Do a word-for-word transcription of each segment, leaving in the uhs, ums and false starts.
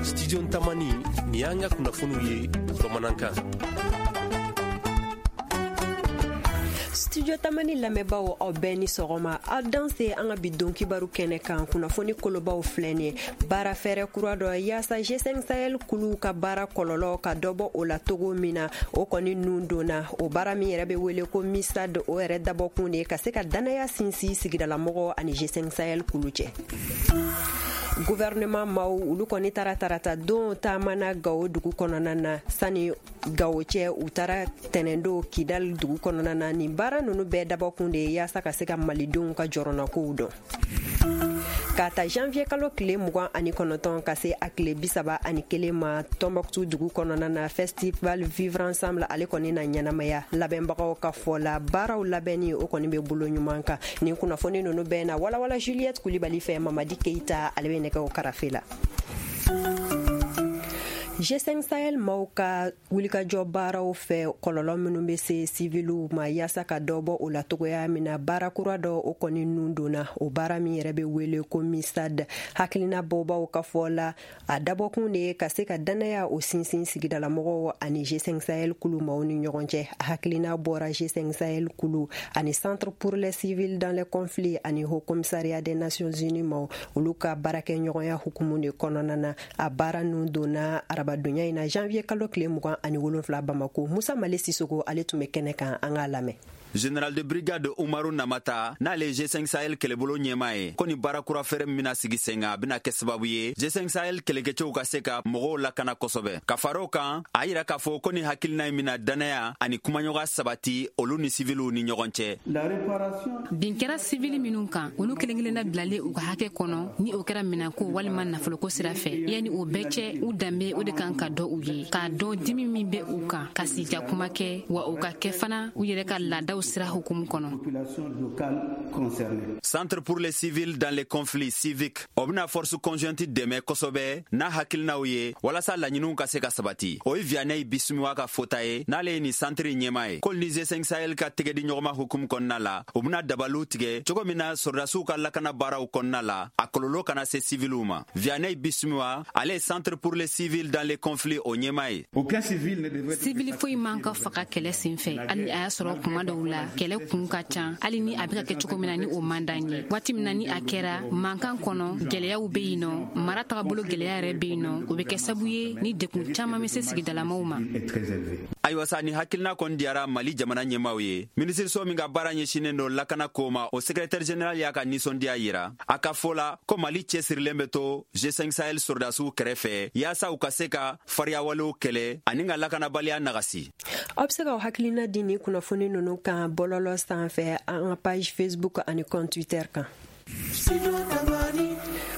Studio Tamani ni y'an ka kunnafoniw ye bamanankan. Studio Tamani lamɛnbaaw, aw bɛɛ ni sɔgɔma. Aw danse an ka bi don kibaru kɛnɛ kan. Kunnafoni kolobaw filɛ nin ye: baara fɛɛrɛ kura dɔ yaasa G cinq Sahel kuluw ka baara kɔlɔlɔ ka dɔ bɔ o la togo min na, o kɔni nun donna. O baara min yɛrɛ bɛ wele ko MISAD, o yɛrɛ dabɔkun de ka se ka danaya sinsin sigidalamɔgɔw ani G cinq Sahel kulu cɛ. Gouvernement maw, olu kɔni taara tarata don taamana Gawo dugu kɔnɔna na. Sani Gawo cɛ, u taara tɛnɛndo Kidal dugu kɔnɔna na. Nin baara nunu bɛɛ dabɔkun de ye yaasa ka se ka malidenw ka jɔrɔnakow dɔn. K'a ta janvier kalo tile mugan ani kɔnɔntɔn ka se a tile bisaba ani kelen ma, Tɔnbɔkutu dugu kɔnɔna na, festival Vivre ensemble, ale kɔni na ɲɛnamaya. Labɛnbagaw ka fɔ la, baaraw labɛnni, o kɔni bɛ bolo ɲuman kan. Nin kunnafoni nunu bɛɛ na walawala Juliette Kulibali fɛ. Mamadi Keita, ale bɛ nɛgɛw karafe la. G cinq Sahel maw ka wulikajɔ baaraw fɛ, kɔlɔlɔ minnu bɛ se siviliw ma, yaasa ka dɔ bɔ o la togoya min na, baara kura dɔ, o kɔni nun donna. O baara min yɛrɛ bɛ wele ko MISAD, hakilina bɔbaw ka fɔ la, a dabɔkun de ye ka se ka danaya o sinsin sigidalamɔgɔw ani G cinq Sahel kulu maw ni ɲɔgɔn cɛ. Hakilina bɔra G cinq Sahel kulu ani Centre pour les civils dans les conflits ani Haut Commissariat des Nations Unies maw, olu ka baarakɛɲɔgɔnya hukumu de kɔnɔna na. A baara nun donna arabadonya in na, janvier kalo tile mugan ani wolonfila, Bamako. Musa Male Sisoko, ale tun bɛ kɛnɛ kan, an k'a lamɛn. Général de brigade Umaru Namata, n'ale ye G cinq Sahel kɛlɛbolo ɲɛma ye, ko ni baara kura fɛrɛ min bɛna sigi sen kan, a bɛna kɛ sababu ye G cinq Sahel kɛlɛkɛcɛw ka se ka mɔgɔw lakana kosɛbɛ. Ka fara o kan, a yira k'a fɔ ko ni hakilina in bɛna dannaya ani kumaɲɔgɔn sabati olu ni siviliw ni ɲɔgɔn cɛ. Bin kɛra sivili minnu kan, olu kelen kelenna bilalen u ka hakɛ kɔnɔ, ni o kɛra minɛnko walima nafoloko sira fɛ, yanni o bɛɛ cɛ, u danbe, o de kan ka dɔn u ye, k'a dɔn dimi min bɛ u kan, ka sigi ka kuma kɛ, wa o ka kɛ fana u yɛrɛ ka laadaw sira hukumu kɔnɔ. Centre pour les civils dans les conflits civiques, o bɛna force conjointe dɛmɛ kosɛbɛ n'a hakilinaw ye walasa laɲiniw ka se ka sabati. O ye Vianney Bisimiwa ka fota ye, n'ale ye nin centre ɲɛma ye. K'olu ni G cinq Sahel ka tɛgɛdi ɲɔgɔnma hukumu kɔnɔna la, u bɛna dabaliw tigɛ cogo min na sɔrɔdasiw ka lakana baaraw kɔnɔna la, a kɔlɔlɔ kana se civiliw ma. Vianney Bisimiwa, ale ye Centre pour les civils dans les conflits o ɲɛma ye. Sivili foyi man ka faga kɛlɛ sen fɛ, hali ni a y'a sɔrɔ kuma dɔw la kɛlɛ kun ka ca, hali ni a bɛ ka kɛ cogo min na ni o man d'an ye. Waati min na ni a kɛra mankan kɔnɔ, gɛlɛyaw bɛ yen nɔ, mara tagabolo gɛlɛya yɛrɛ bɛ yen nɔ, o bɛ kɛ sabu ye ni dekun caman bɛ se sigidalamaw ma. Ayiwa sa, ni hakilina kɔni diyara Mali jamana ɲɛmaw ye. Minisiriso min ka baara ɲɛsinnen don lakana ko ma, o secrétaire général y'a ka ninsɔndiya yira. A ka fɔ la ko Mali cɛsirilen bɛ to G cinq Sahel sɔrɔdasiw kɛrɛfɛ yaasa u ka se ka fariyawalew kɛlɛ ani ka lakanabaliya nagasi. Aw be se k'aw hakilina di ni kunnafoni nunu kan bɔlɔlɔ sanfɛ, an ka page Facebook ani compte Twitter kan.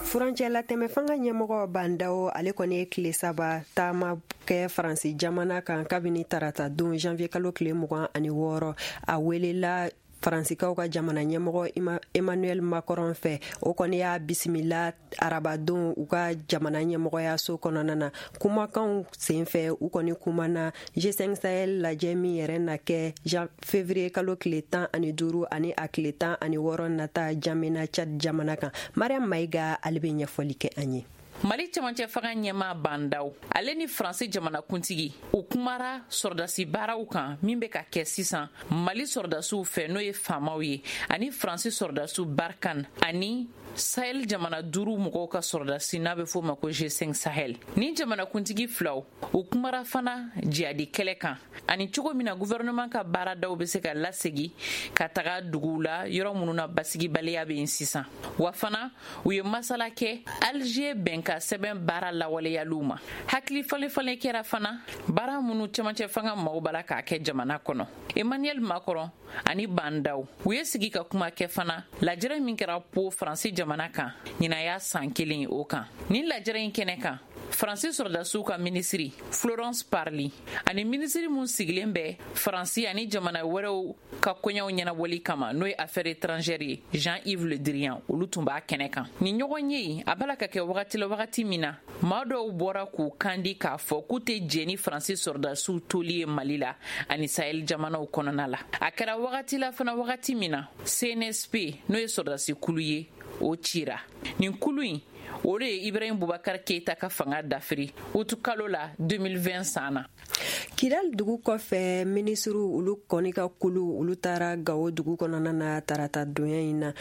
Furancɛla tɛmɛ fanga ɲɛmɔgɔ Bandaw, ale kɔni ye tile saba taama kɛ Faransi jamana kan kabini tarata don, janvier kalo tile mugan ani wɔɔrɔ. A welela Faransikaw ka jamana ɲɛmɔgɔ Emmanuel Macron fɛ. O kɔni y'a bisimila arabadon u ka jamana ɲɛmɔgɔyaso kɔnɔna na. Kumakanw sen fɛ, u kɔni kumana G cinq Sahel lajɛ min yɛrɛ na kɛ février kalo tile tan ani duuru ani a tile tan ani wɔɔrɔ nata Jamena, Chad jamana kan. Mariam Mayiga, ale bɛ ɲɛfɔli kɛ an ye. Mali cɛmancɛ fanga ɲɛma Bandaw, ale ni Faransi jamanakuntigi, u kumara sɔrɔdasi baaraw kan min bɛ ka kɛ sisan Mali sɔrɔdasiw fɛ, n'o ye faamaw ye, ani Faransi sɔrɔdasiw Barkhane ani Sahel jamana duuru mɔgɔw ka sɔrɔdasi n'a bɛ f'o ma ko G cinq Sahel. Ni jamanakuntigi filaw, u kumara fana jihadi kɛlɛ kan ani cogo min na gouvernement ka baaradaw bɛ se ka lasegi ka taga duguw la, yɔrɔ minnu na basigibaliya bɛ yen sisan. Wa fana, u ye masala kɛ Alger bɛnkan sɛbɛn baara lawaleyaliw ma. Hakili falen-falen kɛra fana baara minnu cɛmancɛ fanga maaw b'a la k'a kɛ jamana kɔnɔ. Emmanuel Macron ani Bandaw, u ye sigi ka kuma kɛ fana lajɛrɛ min kɛra Po, Faransi jamana kan, ɲinan y'a san kelen o kan. Nin lajɛrɛ in kɛnɛ kan, Faransi sɔrɔdasiw ka minisiri Florence Parly ani minisiri mun sigilen bɛ Faransi ani jamana wɛrɛw ka koɲɛw ɲɛnabɔli kama, n'o ye affaires étrangères ye, Jean-Yves Le Drian, olu tun b'a kɛnɛ kan. Nin ɲɔgɔn ye a b'a la ka kɛ wagati la wagati min na maa dɔw bɔra k'u kandi k'a fɔ k'u tɛ jɛn ni Faransi sɔrɔdasiw toli ye Mali la ani Sahel jamanaw kɔnɔna la. A kɛra wagati la fana wagati min na C N S P, n'o ye sɔrɔdasi kulu ye, o cira. Nin kulu in o de ye Ibrahim Boubacar Keita ka fanga dafiri utukalo la deux mille vingt san na. Kidal dugu kɔfɛ, minisiriw olu kɔni ka kulu olu taara Gawo dugu kɔnɔna na tarata donya in na.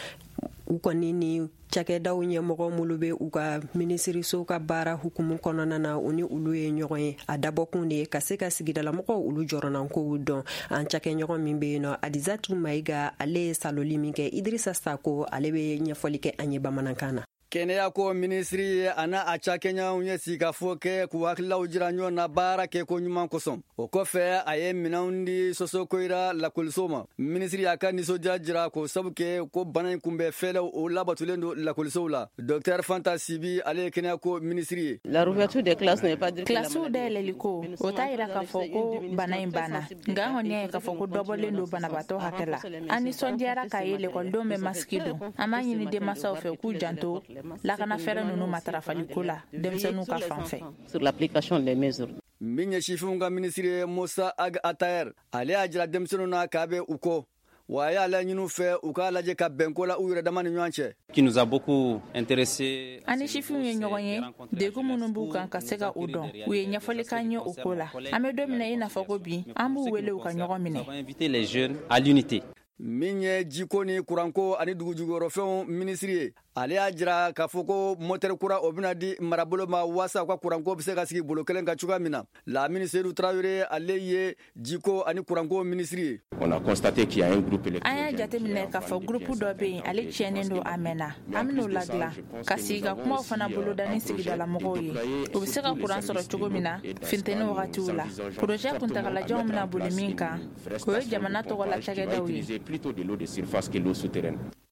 U kɔni ni cakɛdaw ɲɛmɔgɔ minnu bɛ u ka minisiriso ka baara hukumu kɔnɔna na, u ni olu ye ɲɔgɔn ye. A dabɔkun de ye ka se ka sigidalamɔgɔw olu jɔrɔnankow dɔn. An cakɛɲɔgɔn min bɛ yen nɔ, Adizatu Mayiga, ale ye saloli min kɛ Idirisa Sako, ale bɛ ɲɛfɔli kɛ an ye bamanankan na. Kɛnɛya ko minisiri ye a n'a a cakɛɲɔgɔnw ye sigikafɔ kɛ k'u hakililaw jira ɲɔgɔn na baara kɛ ko ɲuman kosɔn. O kɔfɛ a ye minɛnw di Sosokoyira lakɔliso ma. Minisiri y'a ka nisɔndiya jira k'o sabu kɛ ko bana in kunbɛn fɛɛrɛw o labatolen don lakɔlisow la. Docteur Fanta Sibi, ale ye kɛnɛya ko minisiri ye. Kilasiw dayɛlɛli ko o t'a yira k'a fɔ ko bana in banna, nka an kɔni y'a ye k'a fɔ ko dɔbɔlen don banabaatɔ hakɛ la. An nisɔndiyara k'a ye lekɔlidenw bɛ masiki don. An b'a ɲini denmansaw fɛ k'u janto lakana fɛɛrɛ ninnu matarafaliko la denmisɛnninw ka fan fɛ. Min ye sifinw ka minisiri ye Musa Ag Atayer, ale y'a jira denmisɛnninw na k'a bɛ u kɔ, wa a y'a laɲini u fɛ u k'a lajɛ ka bɛnko la u yɛrɛ dama ni ɲɔgɔn cɛ. An ni sifinw ye ɲɔgɔn ye, degun minnu b'u kan ka se ka u dɔn, u ye ɲɛfɔli k'an ye o ko la. An bɛ don min na i n'a fɔ ko bi, an b'u wele u ka ɲɔgɔn minɛ. Min ye jiko ni kuranko ani dugujukɔrɔfɛnw minisiri ye, ale y'a jira k'a fɔ ko motɛri kura o bɛna di marabolo ma waasa u ka kuranko bɛ se ka sigi bolo kelen kan cogoya min na. Lamini Seydou Traoré, ale ye jiko ani kuranko minisiri ye. An y'a jateminɛ k'a fɔ gurupu dɔ bɛ yen, ale tiɲɛnen don a mɛnna. An bɛn'o ladilan ka sigi ka kumaw fana boloda ni sigidalamɔgɔw ye, u bɛ se ka kuran sɔrɔ cogo min na funteni wagatiw la. Porozɛ kuntagalajanw bɛna boli min kan, o ye jamana tɔgɔ la cakɛdaw ye.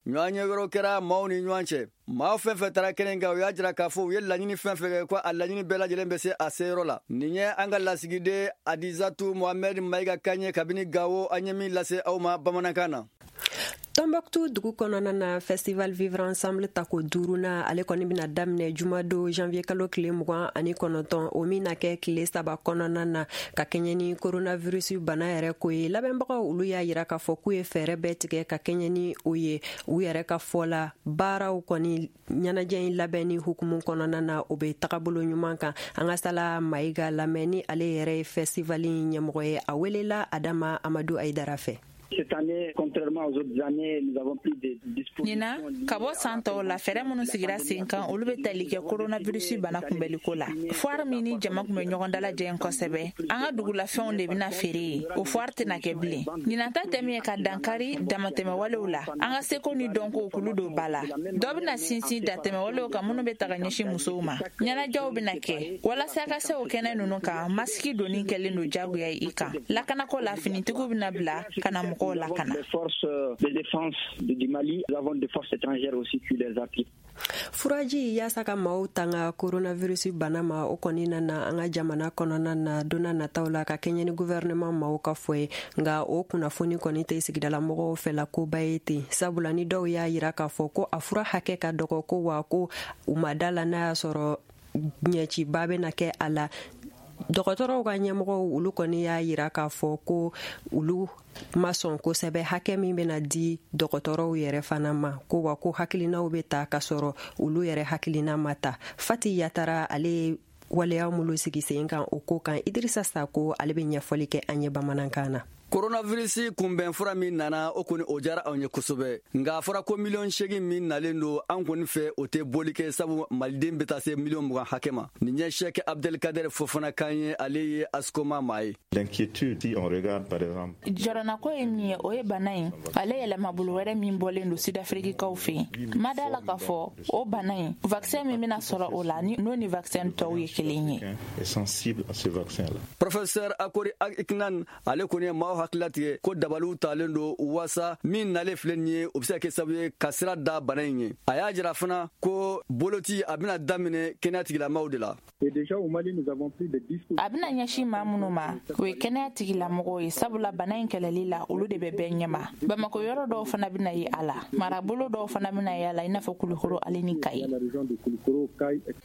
Ɲɔgɔn ɲɛ wɛrɛw kɛra maaw ni ɲɔgɔn cɛ. Maa fɛn fɛn taara kɛnɛ kan, u y'a jira k'a fɔ u ye laɲini fɛn fɛn kɛ ko a laɲini bɛɛ lajɛlen bɛ se a seyɔrɔ la. Nin ye an ka lasigiden Adizatu Mohamɛd Mayiga kan ye kabini Gawo, an ye min lase aw ma bamanankan na. Tombouctou dugu kɔnɔna na, festival Vivre Ensemble tako duurunan, ale kɔni bɛna daminɛ jumadon janvier kalo tile mugan ani kɔnɔntɔn, o min na kɛ tile saba kɔnɔna na ka kɛɲɛ ni coronavirus bana yɛrɛ ko ye. Labɛnbagaw olu y'a yira k'a fɔ k'u ye fɛɛrɛ bɛɛ tigɛ ka kɛɲɛ ni o ye. U yɛrɛ ka fɔ la, baaraw kɔni ɲɛnajɛ in labɛnni hukumu kɔnɔna na, o bɛ tagabolo ɲuman kan. An ka Sala Mayiga lamɛn ni ale yɛrɛ ye festival in ɲɛmɔgɔ ye. A welela Adama Amadu Ayidara fɛ. Cette année, contrairement aux autres années, nous avons pris des dispositions. Ɲinan, ka bɔ san tɔw la, fɛɛrɛ minnu sigira sen kan, olu bɛ tali kɛ coronavirus bana kunbɛliko la. Foire min ni jama kun bɛ ɲɔgɔn dalajɛ kosɛbɛ, an ka dugulafɛnw de bɛna feere yen, o foire tɛna kɛ bilen. Ɲinan ta tɛ min ye ka dankari damatɛmɛwalew la, an ka seko ni dɔnko kulu don ba la. Dɔ bɛna sinsin dantɛmɛwalew kan minnu bɛ ta ka ɲɛsin musow ma. Ɲɛnajɛw bɛna kɛ walasa ka se o kɛnɛ ninnu kan, masiki donni kɛlen don jagoya ye i kan. Lakanako la, finitigiw bɛna bila ka na mɔgɔw lakana. Les forces de défense du Mali, nous avons des forces étrangères aussi qui les appuient. Furaji yaasa ka maaw tanga coronavirus bana ma, o kɔni nana an ka jamana kɔnɔna na donna nataw la ka kɛɲɛ ni gouvernement maaw ka fɔ ye. Nka o kunnafoni kɔni tɛ sigidalamɔgɔw fɛla koba ye ten, sabula ni dɔw y'a yira k'a fɔ ko a fura hakɛ ka dɔgɔ, ko wa ko u ma da la n'a y'a sɔrɔ ɲɛciba bɛna kɛ a la. Dɔgɔtɔrɔw ka ɲɛmɔgɔw olu kɔni y'a yira k'a fɔ ko olu ma sɔn kosɛbɛ hakɛ min bɛna di dɔgɔtɔrɔw yɛrɛ fana ma, ko wa ko hakilinaw bɛ ta k'a sɔrɔ olu yɛrɛ hakilina ma ta. Fati Yatara, ale ye waleya minnu sigi sen kan o ko kan, Idirisa Sako ale bɛ ɲɛfɔli kɛ an ye bamanankan na. Coronavirus kunbɛn fura min nana, o kɔni o diyara anw ye kosɛbɛ. Nka a fɔra ko miliyɔn seegin min nalen don an kɔni fɛ, o tɛ boli kɛ, sabu maliden bɛ taa se miliyɔn mugan hakɛ ma. Nin ye Cheikh Abdelkader Fofana kan ye, ale ye ASCOMA maa ye. Jɔrɔnako ye min ye, o ye bana in ale yɛlɛmabolo wɛrɛ min bɔlen don Sud-Afriquekaw fɛ yen. Ma da la k'a fɔ o bana in vaccin min bɛna sɔrɔ o la, n'o ni vaccin tɔw ye kelen ye. Professeur Akori Iknan, ale kɔni ye maaw hakili latigɛ ko dabaliw talen don waasa min nalen filɛ nin ye, o bɛ se ka kɛ sababu ye ka sira da bana in ye. A y'a jira fana ko boloci a bɛna daminɛ kɛnɛya tigilamaaw de la. A bɛna ɲɛsin maa minnu ma, o ye kɛnɛya tigilamɔgɔw ye, sabula bana in kɛlɛli la, olu de bɛ bɛɛ ɲɛma. Bamakɔ yɔrɔ dɔw fana bɛna ye a la, marabolo dɔw fana bɛna ye a la, i n'a fɔ Kulukoro ale ni Kayi.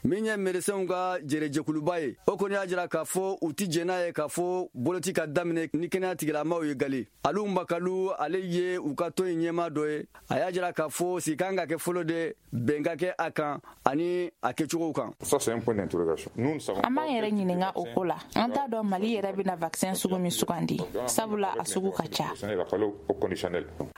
Min ye médecinw ka jɛrɛjɛkuluba ye, o kɔni y'a jira k'a fɔ u ti jɛn n'a ye k'a fɔ boloci ka daminɛ ni kɛnɛya tigilamaaw ye gali. Alu Makalu, ale ye u ka tɔn in ɲɛmaa dɔ ye, a y'a jira k'a fɔ sigi kan ka kɛ fɔlɔ de, bɛn ka kɛ a kan ani a kɛcogow kan. An b'an yɛrɛ ɲininka o ko la. An t'a dɔn Mali yɛrɛ bɛna vaccin sugu min sugandi, sabula a sugu ka ca.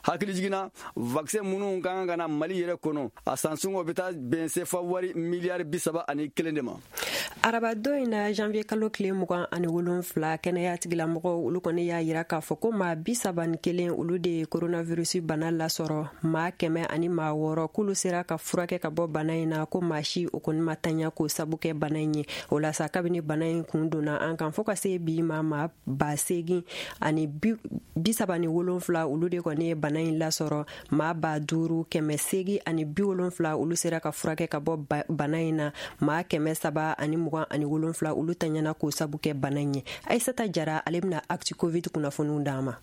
Hakili jiginna, vaccin minnu ka kan ka na Mali yɛrɛ kɔnɔ, a sansɔngɔ bɛ taa bɛn sefa wari miliyari bi saba ani kelen de ma. Arabadon in na, janvier kalo tile mugan ani wolonfila, kɛnɛya tigilamɔgɔw olu kɔni y'a yira k'a fɔ ko maa bi saba ni kelen olu de ye coronavirus bana lasɔrɔ, maa kɛmɛ ani maa wɔɔrɔ k'olu sera ka furakɛ ka bɔ bana in na, ko maa si o kɔni ma tanya k'o sabu kɛ bana in ye. O la sa, kabini bana in kun donna an kan fo ka se bi ma, maa ba seegin ani bi saba ni wolonfila olu de kɔni ye bana in lasɔrɔ, maa ba duuru kɛmɛ seegin ani bi wolonfila olu sera ka furakɛ ka bɔ bana in na, maa kɛmɛ saba ani mugan ani wolonfila olu tanyana k'o sabu kɛ bana in ye. Aissata Jara, ale bɛna Actu Covid kunnafoniw d'an ma.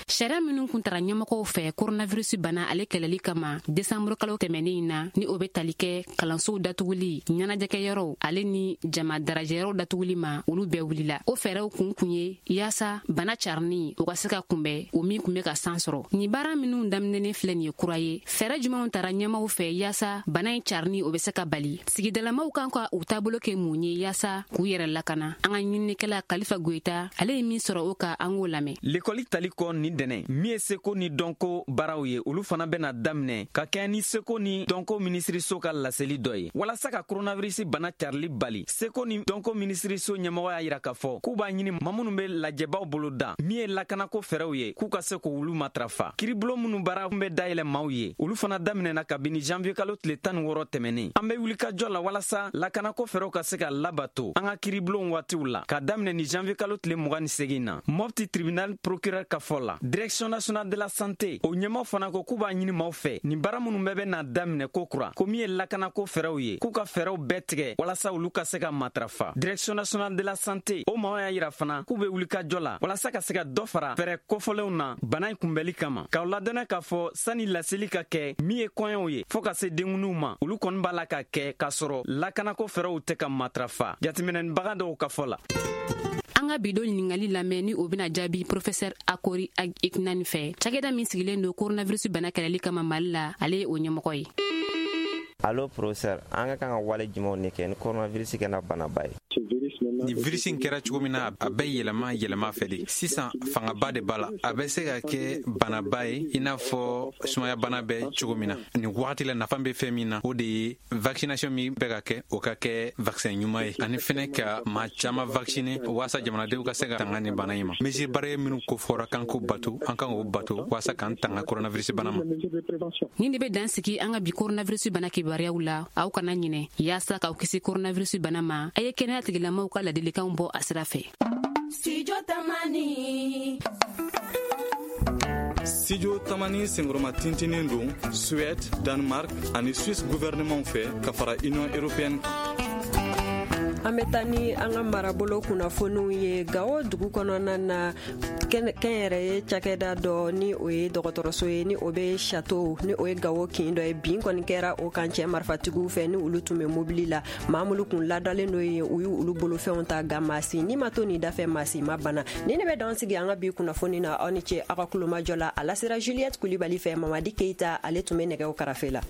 Sariya minnu kun tara ɲɛmɔgɔw fɛ coronavirus bana ale kɛlɛli kama desanburu kalo tɛmɛnen in na, ni o bɛ tali kɛ kalansow datuguli, ɲɛnajɛkɛyɔrɔw ale ni jama darajɛyɔrɔw datuguli ma, olu bɛɛ wulila. O fɛɛrɛw kun kun ye yaasa bana carinni o ka se ka kunbɛn, o min kun bɛ ka san sɔrɔ. Nin baara minnu daminɛnen filɛ nin ye kura ye. Fɛɛrɛ jumɛnw tara ɲɛmaw fɛ yaasa bana in carinni o bɛ se ka bali? Sigidalamaw kan ka u taabolo kɛ mun ye yaasa k'u yɛrɛ lakana? An ka ɲininikɛla Kalifa Goyita, ale ye min sɔrɔ o ka, an k'o lamɛn. Lekɔli tali kɔ ni dɛnɛ min ye seko ni dɔnko baaraw ye, olu fana bɛna daminɛ ka kɛ ni seko ni dɔnko minisiriso ka laseli dɔ ye walasa ka coronavirus bana carili bali. Seko ni dɔnko minisiriso ɲɛmɔgɔ y'a yira k'a fɔ k'u b'a ɲini maa minnu bɛ lajɛbaw bolo da min ye lakanako fɛɛrɛw ye, k'u ka se k'olu matarafa. Kiribulon minnu baara bɛ dayɛlɛ maaw ye, olu fana daminɛna kabini janvier kalo tile tan ni wɔɔrɔ tɛmɛnen. An bɛ wulikajɔ la walasa lakanako fɛɛrɛw ka se ka labato an ka kiribulon waatiw la ka daminɛ ni janvier kalo tile mugan ni segin na. Mopti tribunal procureur ka fɔ la, direction nationale de la santé o ɲɛmaw fana ko k'u b'a ɲini maaw fɛ nin baara minnu bɛɛ bɛ na daminɛ ko kura, ko min ye lakanako fɛɛrɛw ye, k'u ka fɛɛrɛw bɛɛ tigɛ walasa olu ka se ka matarafa. Direction nationale de la santé o maaw y'a yira fana k'u bɛ wulikajɔ la walasa ka se ka dɔ fara fɛɛrɛ kofɔlenw na bana in kunbɛli kama. K'aw ladɔnna k'a fɔ sani laseli ka kɛ min ye kɔɲɔw ye fɔɔ ka se denkundiw ma, olu kɔni b'a la ka kɛ k'a sɔrɔ lakanako fɛɛrɛw tɛ ka matarafa, jateminɛnibaga dɔw ka fɔ la. An ka bi don ɲininkali lamɛn, ni o bɛna jaabi professeur Akori Ignani fɛ, cakɛda min sigilen don coronavirus bana kɛlɛli kama Mali la, ale ye o ɲɛmɔgɔ ye. Allo professeur, an ka kan ka wale jumɛnw de kɛ ni coronavirus kɛra banaba ye? Ni virus in kɛra cogo min na, a bɛ yɛlɛma yɛlɛma fɛ de. Sisan fangaba de b'a la, a bɛ se ka kɛ banaba ye i n'a fɔ sumayabana bɛ cogo min na. Nin wagati la, nafa bɛ fɛn min na, o de ye vaccination min bɛ ka kɛ, o ka kɛ vaccin ɲuman ye, ani fɛnɛ ka maa caman vacciner walasa jamanadenw ka se ka tanga nin bana in ma. Mesure barrière minnu ko fɔra k'an k'o bato, an kan k'o bato walasa k'an tanga coronavirus bana ma. Nin de bɛ dan sigi an ka bi coronavirus bana kibaruyaw la. Aw kana ɲinɛ, yaasa k'aw kisi coronavirus bana ma, a ye kɛnɛya tigilamaw ka ladilikanw bɔ a sira fɛ. Studio Tamani. Studio Tamani senkɔrɔma tintinen don Suède, Danemark ani Suisse gouvernement fɛ ka fara Union européenne kan. An bɛ taa ni an ka marabolo kunnafoniw ye. Gawo dugu kɔnɔna na, kɛnyɛrɛye cakɛda dɔ, ni o ye dɔgɔtɔrɔso ye, ni o bɛ Chateau, ni o ye Gawo kin dɔ ye, bin kɔni kɛra o kan cɛ marifatigiw fɛ, ni olu tun bɛ mobili la. Maa minnu kun ladalen don yen, u y'u olu bolofɛnw ta, nka maa si ni ma to nin dafɛ, maa si ma bana. Ni ne bɛ dan sigi an ka bi kunnafoni na. Aw ni ce aw ka kulomajɔ la. A lasera Juliette Kulibali fɛ. Mamadi Keita, ale tun bɛ nɛgɛw karafe la.